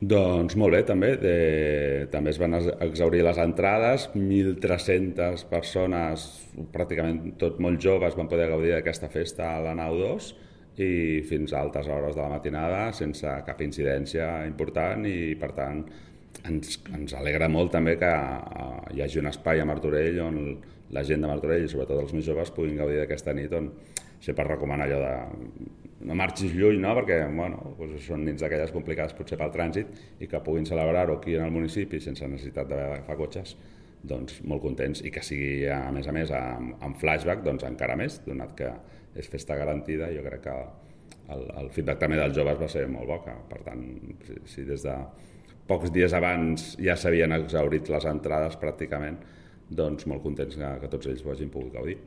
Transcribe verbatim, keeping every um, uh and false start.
Doncs molt bé, també. De... També es van exhaurir les entrades, mil tres-centes persones, pràcticament tot molt joves, van poder gaudir d'aquesta festa a la nau dos i fins a altes hores de la matinada, sense cap incidència important i, per tant, ens, ens alegra molt també que uh, hi hagi un espai a Martorell on la gent de Martorell i sobretot els més joves puguin gaudir d'aquesta nit on sempre recomana allò de no marxis lluny, no? Perquè bueno, doncs són nits d'aquelles complicades potser pel trànsit i que puguin celebrar-ho aquí en el municipi sense necessitat d'agafar cotxes, doncs molt contents, i que sigui a més a més amb, amb flashback, doncs encara més, donat que és festa garantida. Jo crec que el, el feedback també dels joves va ser molt bo, que, per tant, si, si des de pocs dies abans ja s'havien exhaurit les entrades pràcticament, doncs molt contents que, que tots ells ho hagin pogut gaudir.